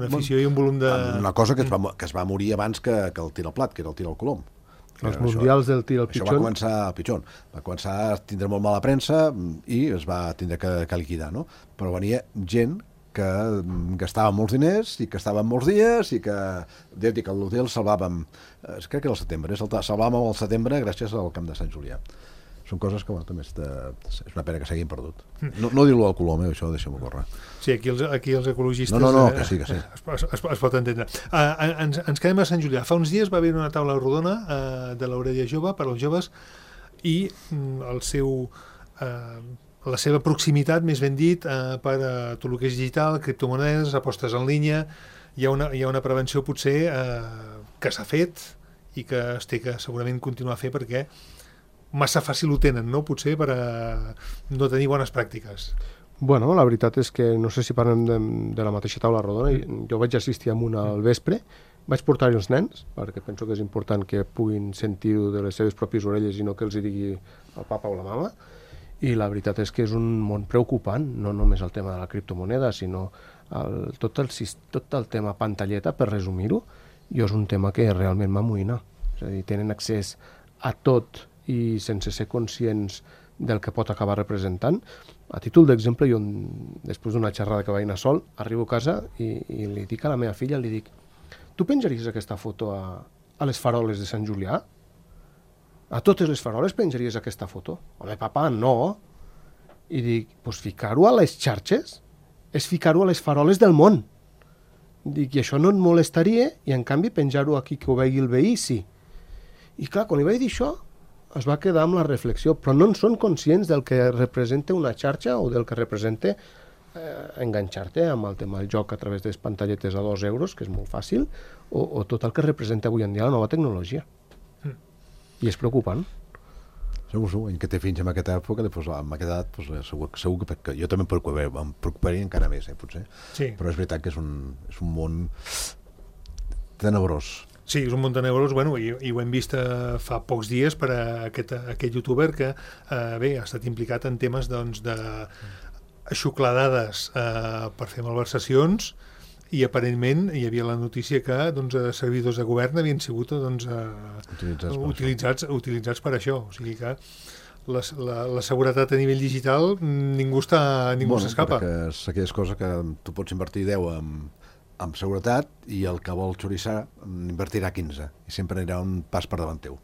afició i un volum de... Una cosa que es va morir abans que el tir al plat, que era el tir al colom. Els mundials del tir al pitxon. Això va començar al pitxon. Va començar a tindre molt mala premsa i es va tindre que liquidar, no? Però venia gent que gastava molts diners i que estaven molts dies i que, deu dir que l'hotel salvàvem, crec que era el setembre, salvàvem el setembre gràcies al camp de Sant Julià. Són coses que també és una pena que s'hagin perdut. No dir-lo al Colom, això deixem-ho córrer. Sí, aquí els ecologistes... No, que sí. Es pot entendre. Ens quedem a Sant Julià. Fa uns dies va haver una taula rodona de l'Orella Jove per als joves i la seva proximitat, més ben dit, per a tot el que és digital, criptomonedes, apostes en línia. Hi ha una prevenció potser que s'ha fet i que es té que segurament continuar a fer perquè massa fàcil ho tenen, no? Potser per a no tenir bones pràctiques. Bueno, la veritat és que no sé si parlem de la mateixa taula rodona. Jo vaig assistir a una al vespre, vaig portar-hi els nens, perquè penso que és important que puguin sentir-ho de les seves pròpies orelles i no que els hi digui el papa o la mama. I la veritat és que és un món preocupant, no només el tema de la criptomoneda, sinó tot el tema pantalleta, per resumir-ho, és un tema que realment m'amoïna. És a dir, tenen accés a tot i sense ser conscients del que pot acabar representant. A títol d'exemple, jo, després d'una xerrada que vaig anar sol, arribo a casa i li dic a la meva filla, li dic, tu penjaries aquesta foto a les faroles de Sant Julià? A totes les faroles penjaries aquesta foto? Home, papa, no. I dic, doncs ficar-ho a les xarxes és ficar-ho a les faroles del món. Dic, i això no et molestaria, i en canvi penjar-ho aquí que ho vegi el veí, sí. I clar, quan li vaig dir això, es va quedar amb la reflexió, però no en són conscients del que representa una xarxa o del que representa enganxar-te amb el tema del joc a través de les pantalletes a 2 euros, que és molt fàcil, o tot el que representa avui en dia la nova tecnologia. I és preocupant. Segur, en que té fins en aquesta època, després amb aquesta edat, segur que jo també em preocuparia encara més, potser. Sí. Però és veritat que és un món tenebrós. Sí, és un món tenebrós, i ho hem vist fa pocs dies per a aquest youtuber que bé, ha estat implicat en temes de xuclar dades per fer malversacions, i aparentment hi havia la notícia que servidors de govern havien sigut utilitzats per això. O sigui que la seguretat a nivell digital ningú s'escapa. Perquè és aquelles coses que tu pots invertir 10 en seguretat i el que vol xorissar invertirà 15 i sempre anirà un pas per davant teu.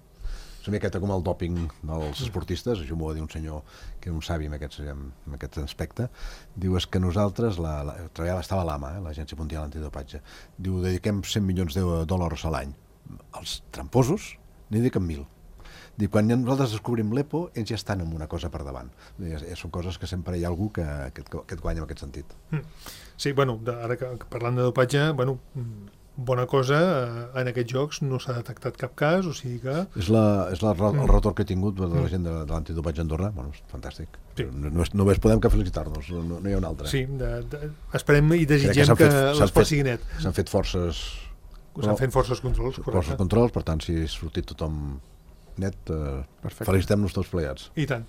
És una miqueta com el dòping dels esportistes, això m'ho va dir un senyor que és un savi en aquest aspecte. Diu, és que nosaltres, estava a l'AMA, l'Agència Mundial Antidopatge, diu, dediquem 100 milions de dòlars a l'any. Els tramposos n'hi dediquen 1.000. Diu, quan nosaltres descobrim l'EPO, ells ja estan en una cosa per davant. Són coses que sempre hi ha algú que et guanya en aquest sentit. Sí, ara que parlant de dopatge, bona cosa, en aquests jocs no s'ha detectat cap cas, o sigui que... És el retorn que he tingut de la gent de l'antidopatge a Andorra, és fantàstic. Sí. Només podem que felicitar-nos, no hi ha un altre. Sí, esperem i desitgem que l'esport sigui net. S'han fet forces... S'han fet forces controls, correcte. Forces controls, per tant, si ha sortit tothom net, felicitem-nos tots plegats. I tant.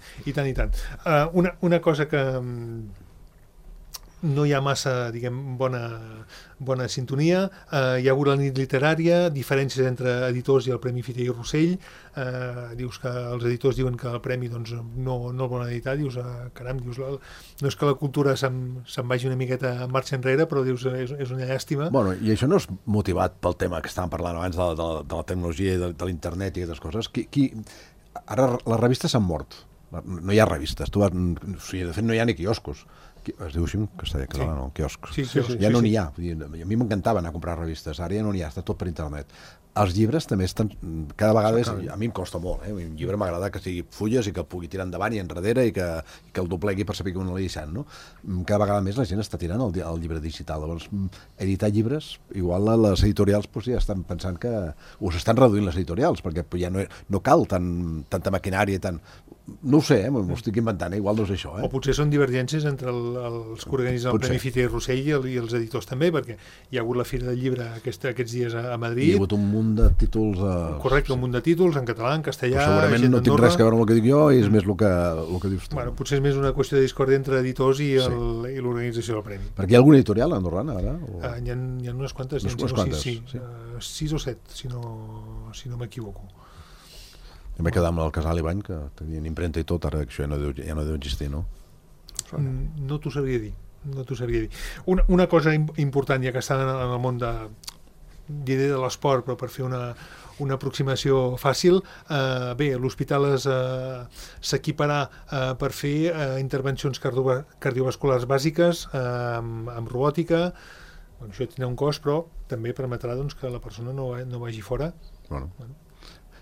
Una cosa que no hi ha massa, bona sintonia. Hi ha hagut la nit literària, diferències entre editors i el Premi Fita i Rossell. Dius que els editors diuen que el premi no el volen editar. Dius, caram, no és que la cultura se'n vagi una miqueta en marxa enrere, però dius, és una llàstima. Bueno, i això no és motivat pel tema que estament parlant abans de la tecnologia i de l'internet i aquestes coses. Ara les revistes s'han mort. No hi ha revistes. De fet, no hi ha ni quioscos. Es diu així en castellà, català, no? Quioscs. Sí, Ja no n'hi ha. Vull dir, a mi m'encantava anar a comprar revistes, ara ja no n'hi ha, està tot per internet. Els llibres també estan... Cada vegada a mi em costa molt, eh? Un llibre m'agrada que sigui fulles i que pugui tirar endavant i enrere i que el doblegui per saber que on l'he deixant, no? Cada vegada més la gent està tirant el llibre digital. Llavors, editar llibres, igual les editorials ja estan pensant que us estan reduint les editorials, perquè ja no cal tanta maquinària i tant... No ho sé, m'ho estic inventant, igual no és això. O potser són divergències entre els que organitzen el Premi Fiter i Rossell i els editors també, perquè hi ha hagut la Fira del Llibre aquests dies a Madrid. Hi ha hagut un munt de títols... Correcte, un munt de títols, en català, en castellà... Segurament no tinc res que veure amb el que dic jo i és més el que dius tu. Bueno, potser és més una qüestió de discòrdia entre editors i l'organització del Premi. Perquè hi ha alguna editorial andorrana, ara? Hi ha unes quantes, sí. 6 o 7, si no m'equivoco. Em vaig quedar amb el Casal i Bany, que tenien impremta i tot, ara això ja no deu existir, no? No t'ho sabria dir. Una cosa important, ja que estan en el món de l'esport, però per fer una aproximació fàcil, bé, l'hospital s'equiparà per fer intervencions cardiovasculars bàsiques amb robòtica. Això tindrà un cost, però també permetrà que la persona no vagi fora. Bueno.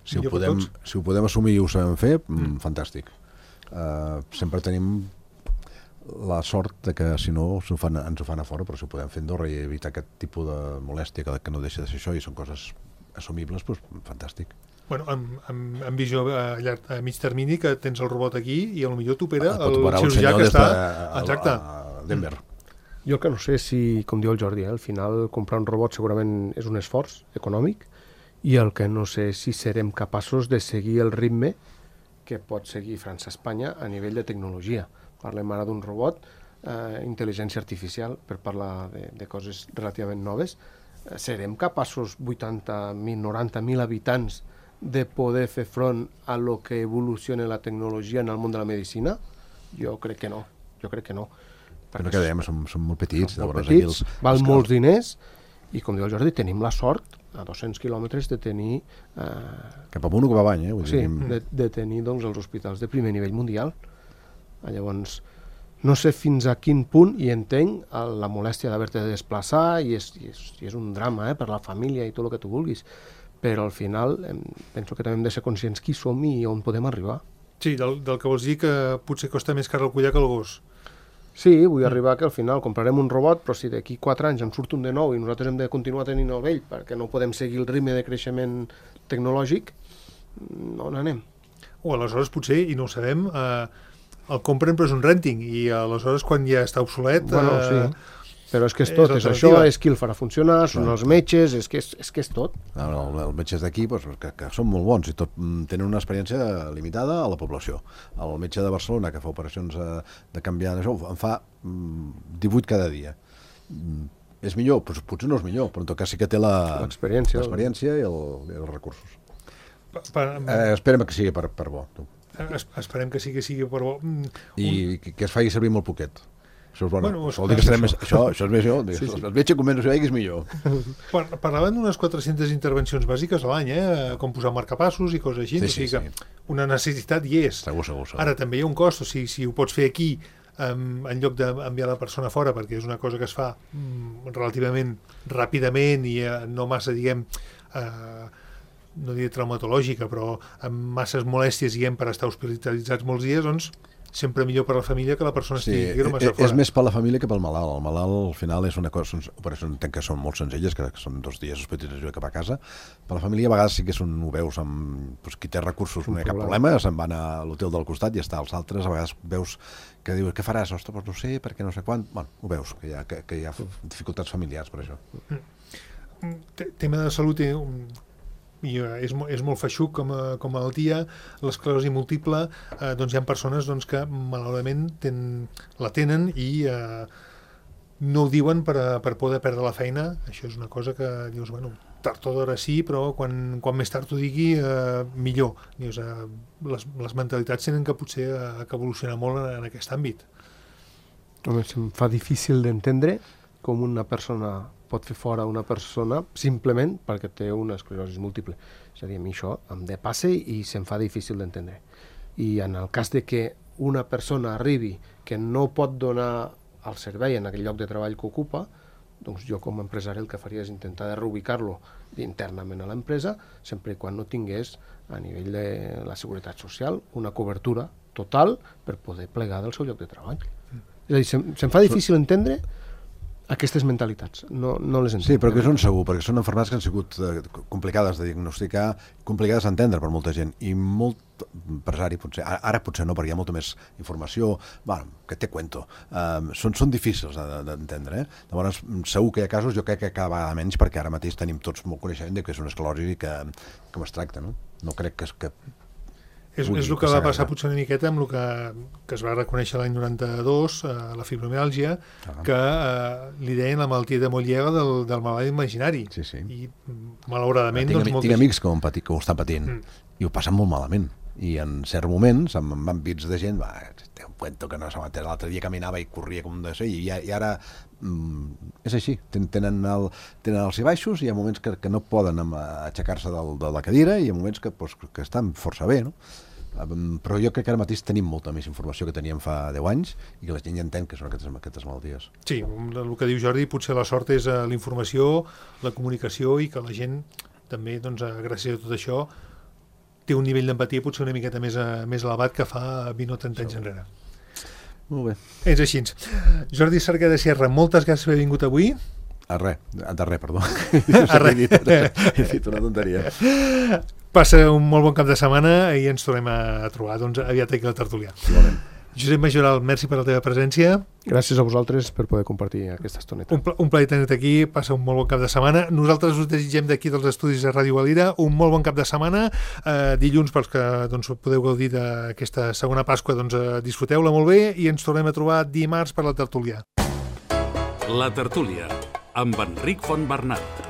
Si ho podem assumir i ho sabem fer, fantàstic. Sempre tenim la sort de que si no ens ho fan a fora, però si ho podem fer a Andorra i evitar aquest tipus de molèstia que no deixa de ser això i són coses assumibles, doncs fantàstic. Bueno, amb visió a mig termini, que tens el robot aquí i potser t'opera el cirurgià que està a Denver. Jo que no sé si, com diu el Jordi, al final comprar un robot segurament és un esforç econòmic, i el que no sé si serem capaços de seguir el ritme que pot seguir França-Espanya a nivell de tecnologia. Parlem ara d'un robot, intel·ligència artificial, per parlar de coses relativament noves. Serem capaços, 80.000, 90.000 habitants, de poder fer front a lo que evoluciona la tecnologia en el món de la medicina? Jo crec que no. Però que dèiem, som molt petits. Som molt petits, val molts diners, i com diu el Jordi, tenim la sort a 200 quilòmetres de tenir... Cap amunt o cap avall, eh? Sí, de tenir els hospitals de primer nivell mundial. Llavors, no sé fins a quin punt, i entenc la molèstia d'haver-te de desplaçar, i és un drama per la família i tot el que tu vulguis, però al final penso que també hem de ser conscients qui som i on podem arribar. Sí, del que vols dir que potser costa més car el collar que el gos. Sí, vull arribar que al final comprarem un robot, però si d'aquí 4 anys en surt un de nou i nosaltres hem de continuar tenint el vell perquè no podem seguir el ritme de creixement tecnològic, on anem? O aleshores potser, i no ho sabem, el compren però és un renting, i aleshores quan ja està obsolet... Bueno, sí, però és que és tot, és això, és qui el farà funcionar, són els metges, és que és tot. Els metges d'aquí, que són molt bons i tot tenen una experiència limitada a la població. El metge de Barcelona, que fa operacions de canviar d'això, en fa 18 cada dia. És millor? Potser no és millor, però en tot cas sí que té l'experiència i els recursos. Esperem que sigui per bo. Esperem que sigui per bo. I que es faci servir molt poquet. Això és bueno. Això és més jo. El metge convenç que és millor. Parlaven d'unes 400 intervencions bàsiques a l'any, com posar marcapassos i coses així. O sigui que una necessitat hi és. Segur. Ara també hi ha un cost, o sigui, si ho pots fer aquí en lloc d'enviar la persona fora, perquè és una cosa que es fa relativament ràpidament i no massa, diguem, no diré traumatològica, però amb masses molèsties, diguem, per estar hospitalitzats molts dies, doncs sempre millor per la família que la persona estigui massa fora. És més per la família que pel malalt. El malalt al final és una cosa, són operacions que són molt senzilles, que són 2 dies d'hospitalització cap a casa. Per la família a vegades sí que ho veus amb qui té recursos, no hi ha cap problema, se'n van a l'hotel del costat i ja està. Els altres a vegades veus que dius, què faràs? Ostres, no sé, perquè no sé quan. Bueno, ho veus, que hi ha dificultats familiars per això. Tema de salut és molt feixuc com a malaltia, l'esclerosi múltiple, doncs hi ha persones que malauradament la tenen i no ho diuen per poder perdre la feina. Això és una cosa que dius, bueno, tard o d'hora sí, però quan més tard ho digui, millor. Dius, les mentalitats tenen que potser que evolucionar molt en aquest àmbit. Home, se'm fa difícil d'entendre com una persona pot fer fora una persona simplement perquè té una esclerosi múltiple. És a dir, a mi això em depassa i se'm fa difícil d'entendre. I en el cas de que una persona arribi que no pot donar al servei en aquell lloc de treball que ocupa, doncs jo com a empresari el que faria és intentar de reubicar-lo internament a l'empresa, sempre i quan no tingués a nivell de la seguretat social una cobertura total per poder plegar del seu lloc de treball. És a dir, se'm fa difícil entendre aquestes mentalitats, no les entenc. Sí, però que són segur, perquè són malalties que han sigut complicades de diagnosticar, complicades d'entendre per molta gent, i molt empresari, potser, ara potser no, perquè hi ha molta més informació, bueno, que té cuento, són difícils d'entendre, Llavors, segur que hi ha casos, jo crec que cada vegada menys, perquè ara mateix tenim tots molt coneixement de que és una esclerosi i que es tracta, no? No crec que És el que va passar potser una miqueta amb el que es va reconèixer l'any 92, la fibromiàlgia, que li deien la malaltia de Molière del malalt imaginari. Sí. I malauradament... Tinc amics que ho estan patint i ho passen molt malament. I en certs moments, amb àmbits de gent, té un cuento que no s'ha entès. L'altre dia caminava i corria com de ser, i ara és així. Tenen els i baixos, i hi ha moments que no poden aixecar-se de la cadira, i hi ha moments que estan força bé, no? Però jo crec que ara mateix tenim molta més informació que teníem fa 10 anys i que la gent ja entén que són aquestes malalties. Sí, el que diu Jordi, potser la sort és la informació, la comunicació, i que la gent també, doncs, gràcies a tot això, té un nivell d'empatia potser una miqueta més elevat que fa 20 o 30 anys enrere. Molt bé. És així. Jordi Cerquer de Sierra, moltes gràcies per haver vingut avui. De res, perdó. He dit una tonteria. Passa un molt bon cap de setmana i ens tornem a trobar aviat aquí a la tertúlia. Igualment. Josep Majoral, merci per la teva presència. Gràcies a vosaltres per poder compartir aquesta estoneta. Un plaer tenir-te aquí, passa un molt bon cap de setmana. Nosaltres us desitgem d'aquí dels estudis de Ràdio Valira un molt bon cap de setmana. Dilluns, pels que podeu gaudir d'aquesta segona Pasqua, disfruteu-la molt bé i ens tornem a trobar dimarts per la tertúlia. La tertúlia, amb Enric Fontbernat.